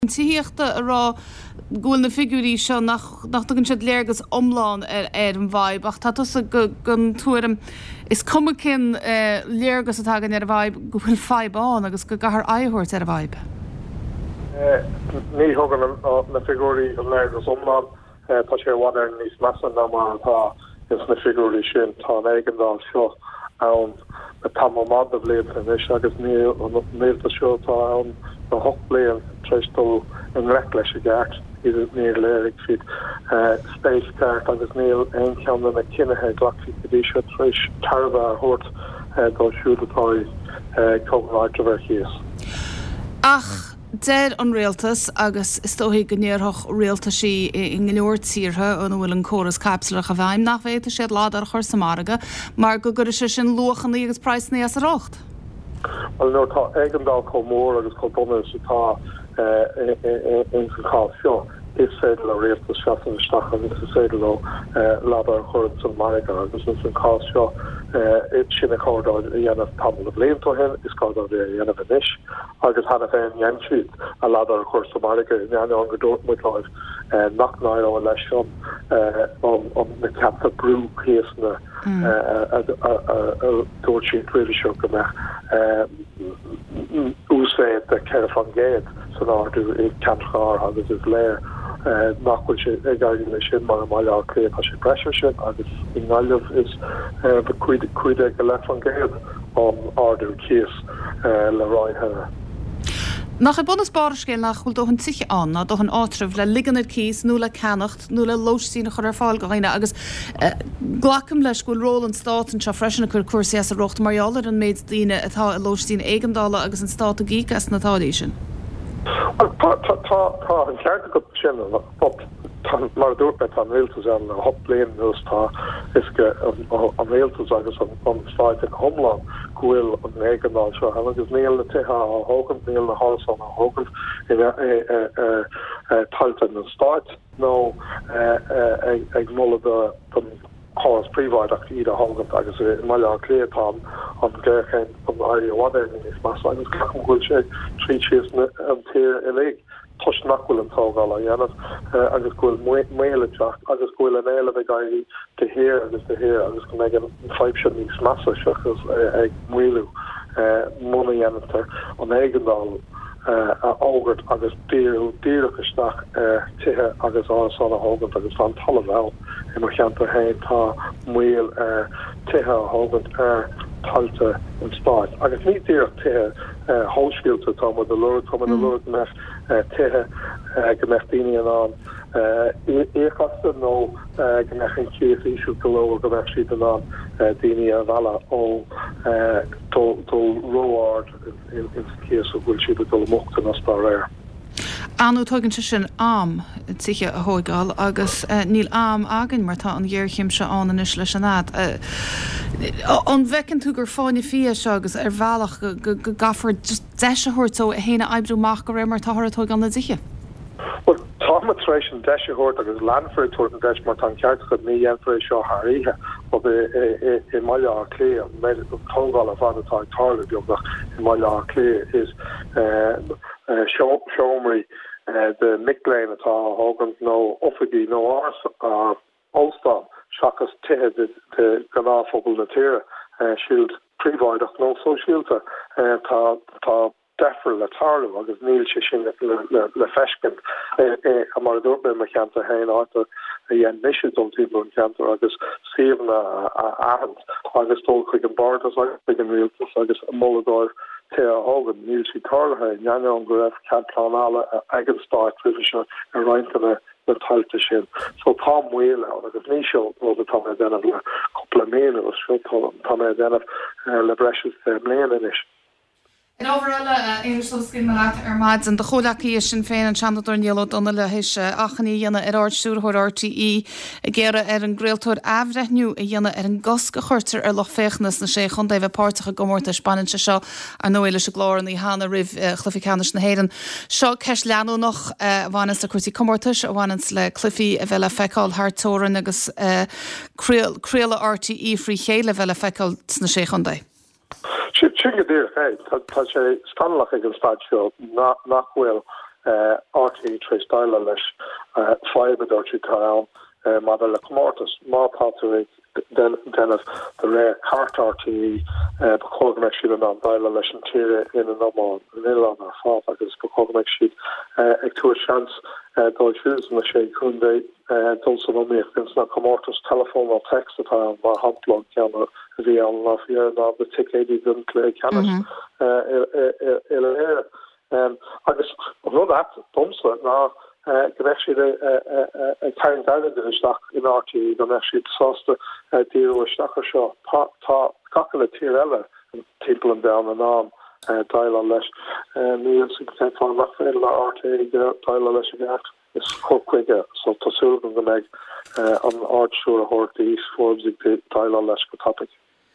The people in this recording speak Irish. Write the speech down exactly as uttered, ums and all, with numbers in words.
Tithíochta a rá go bhfuil na figiúirí seo nach nach dtugann siad léargas iomlán ar ar an bhfadhb ach tá tusa den tuairim is cuma cén eh, léargas atá againn ar an bhfadhb go bhfuil fadhb ann agus go gcaithfear aghaidh a thabhairt ar an bhfadhb. Eh, ní thugann na figiúirí an léargas iomlán eh, tá sé i bhfad Éireann níos measa ná mar atá ins na figiúirí sin tá an éigeandáil seo ann le tamall maith de bhlianta anois agus níl an rialtas seo atá ann le hocht bliain tar éis dul i ngleic leis i gceart níor léirigh siad spéis ceart agus níl aon cheann de na cinnithe glactha go dtí seo tar éis tairbhe a thabhairt dóibh siúd atá ag tógáil áitreabh ar cíos. Ach deir an rialtas agus is dóigh go ndéarfadh rialtaisí i go leor tíortha ina bhfuil an córas caipitleach i bhfeidhm nach bhféadfaidh siad ladar a chur sa margadh mar go gcuirfeadh sé sin luachanna agus praghsanna as a riocht. Well nuair atá éigeandáil chomh mór agus chomh dona is atá in san chás seo is féidir le rialtas seasamh isteach agus is féidir leo ladar a chur san margadh agus in san chás seo sin a chóir dóibh a dhéanamh tamall de bhlianta ó shin is gá dóibh é a dhéanamh anois agus cheana féin dhein siad a ladar a chur sa margadh in ainneoin go dúirt muid leo nach n-éireodh leis an na ceaptha brú cíosanna a dúirt siad roimhe seo go mbeadh uasmhéid de ceithre faoin gcéad san ardú i gceantracha áirithe agus is léir nach bhfuil sé ag éirí leis sin mar i mBaile Átha Cliath tá sé breis ar sin agus i nGaillimh is cúig déag go leith faoin gcéad an ardú cíos le rá cheana. Nach é bun is barr an scéil nach bhfuil dóthain tithe ann ná dóthain áitreabh le ligean ar cíos nó le ceannacht nó le lóistín a chur ar fáil do dhaoine agus glacaim leis go bhfuil ról an stáit anseo freisin ag cur cúrsaí as a riocht mar gheall ar an méid daoine atá i lóistín éigeandála agus an stát ag íoc as na táillí sin. Tá an ceart agat sin mar a dúirt mé tá an rialtas ann le hocht bliain anuas tá is an rialtas agus an stát ina hiomlán go bhfuil an éigeandáil seo ann agus níl na tithe á dtógaint níl na hárasáin á dtógaint ar tailte an stáit nó ag moladh don chóras príobháideach iad a thógaint agus i mBaile Átha Cliath tá an ghéarchéim chun éirí i bhfad Éireann níos measa agus glacaim go bhfuil sé tríd síos an tír uilig toisc nach bhfuil an tógáil á dhéanamh agus go bhfuil moill ag teacht agus go bhfuil an éileamh ag éirí de shíor agus de shíor agus go mbeidh an fadhb seo níos measa seachas ag maolú muna dhéantar an éigeandáil a fhógairt agus díriú díreach isteach ar tithe agus árasáin a thógaint agus tá an talamh ann i mo cheantar féin tá moill ar tithe a thógaint ar tailte an stáit agus ní díreach tithe shóisialta tá muid ag lorg tá muid ag lorg go mbeadh tithe go mbeadh daoine in ann íoc astu nó go mbeadh an cíos íseal go leor go mbeadh siad in ann daoine a mhealladh ó dul ró-ard in cíos go bhfuil siad ag dul i mbochtanas dá réir. Anú tugann sé sin am tithe a thógáil agus níl am againn mar tá an ghéarchéim seo ann anois leis an fhad. An bhfeiceann tú gur fáinne fí é seo agus ar bhealach go gcaithfear deis a thabhairt dó é féin a oibriú amach de réir mar atáthar ag tógáil na dtithe. Well tá tar éis an deis a thabhairt agus leanfar ag tabhairt an deis mar tá an ceart agat ní dhéanfar é seo thar oíche but i mBaile Átha Cliath an tógáil ar fad atá ag tarlú beagnach i mBaile Átha Cliath is seomraí de mic léinn atá á thógaint nó oifigí nó óstán seachas tithe de ghnáthphobal na tíre siúd príobháideach nó sóisialta tá tá deifir le tarlú agus níl sé sin le le feiscint mar a dúirt mé mo cheantar féin áit a dhein mise dul timpeall an ceantar agus suíomhanna a aithint agus dul chuig an Bhardas agus chuig an rialtas agus moladh dóibh tithe a thógaint níl sé tarlaithe in ainneoin go raibh cead pleanála ag an stát roimhe seo ar roinnt de na tailte sin. So tá moill ann agus ní seo rud atá mé ag déanamh le cúpla mí anuas seo tá mé ag déanamh le breis is deich mbliana anois. Ar ábhar eile, Aonghus sula scaoilfidh mé leat ar maidin, do chomhghleacaí i Sinn Féin, an Seanadóir Niall Ó Donnghaile, théis achainí a dhéanamh ar Ard-Stiúrthóir RTÉ ag iarraidh ar an gcraoltóir athbhreithniú a dhéanamh ar an gcosc a chuirtear ar lucht féachana sna Sé Chontae a bheith páirteach i gcomórtais. Baineann sé seo, ar ndóigh, leis an gclár an oíche cheana roimh chluiche ceannais na hÉireann. Seo ceist leanúnach a bhaineanns le cúrsaí comórtais, a bhaineanns le cluichí a bheith le feiceáil thar teorainn agus craoladh RTÉ frí chéile a bheith le feiceáil sna Sé Chontae. Sin go díreach é tá sé scannalach ag an staid seo nach bhfuil RTÉ tar éis déileáil leis fadhb a dúirt siad atá ann maidir le comórtas. Má tá tú ag déanamh de réir cairt RTÉ ba chóir go mbeadh siad in ann déileáil leis an tír ina n-iomlán, an oileán ar fad agus ba chóir go mbeadh siad ag tabhairt seans dóibh siúd sna sé chontae dul san iomaíocht ins na comórtais teileafóin nó téacs atá ann mar shampla an ceann a bhí ann lá faoi dheireadh ná na ticéidí don chluiche ceannais uile-Éireann. Agus an rud ait domsa ná go mbeadh siad ag tarraingt airgid isteach in RTÉ, go mbeadh siad sásta díriú isteach ar seo. Tá gach uile tír eile timpeall an domhain in ann déileáil leis. Níl a fhios agam cén fáth nach féidir le RTÉ déileáil leis i gceart. Is cur chuige so tá súil agam go mbeidh an Ard-Stiúrthóir Denise Forbes ag déileáil leis go tapaidh.